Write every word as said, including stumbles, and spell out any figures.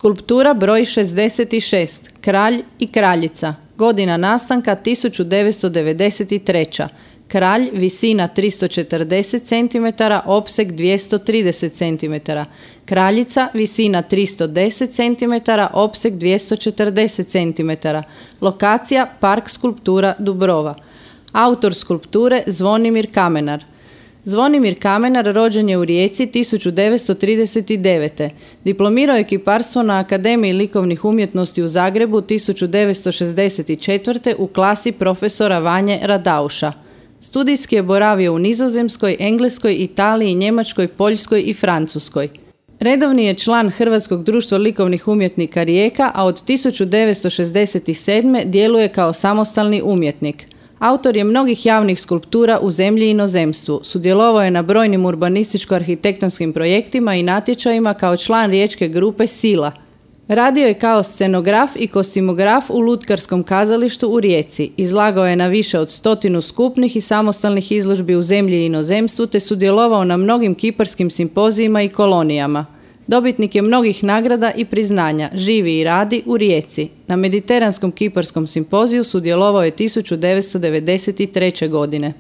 Skulptura broj šezdeset šest. Kralj i kraljica. Godina nastanka tisuću devetsto devedeset treća. Kralj, visina tristo četrdeset centimetara, opseg dvjesto trideset centimetara. Kraljica, visina tristo deset centimetara, opseg dvjesto četrdeset centimetara. Lokacija, Park skulptura Dubrova. Autor skulpture Zvonimir Kamenar. Zvonimir Kamenar rođen je u Rijeci tisuću devetsto trideset devete. Diplomirao je kiparstvo na Akademiji likovnih umjetnosti u Zagrebu tisuću devetsto šezdeset četvrte u klasi profesora Vanje Radauša. Studijski je boravio u Nizozemskoj, Engleskoj, Italiji, Njemačkoj, Poljskoj i Francuskoj. Redovni je član Hrvatskog društva likovnih umjetnika Rijeka, a od tisuću devetsto šezdeset sedme djeluje kao samostalni umjetnik. Autor je mnogih javnih skulptura u zemlji i inozemstvu. Sudjelovao je na brojnim urbanističko-arhitektonskim projektima i natječajima kao član riječke grupe Sila. Radio je kao scenograf i kostimograf u Lutkarskom kazalištu u Rijeci. Izlagao je na više od stotinu skupnih i samostalnih izložbi u zemlji i inozemstvu te sudjelovao na mnogim kiparskim simpozijima i kolonijama. Dobitnik je mnogih nagrada i priznanja, živi i radi u Rijeci. Na Mediteranskom kiparskom simpoziju sudjelovao je tisuću devetsto devedeset treće godine.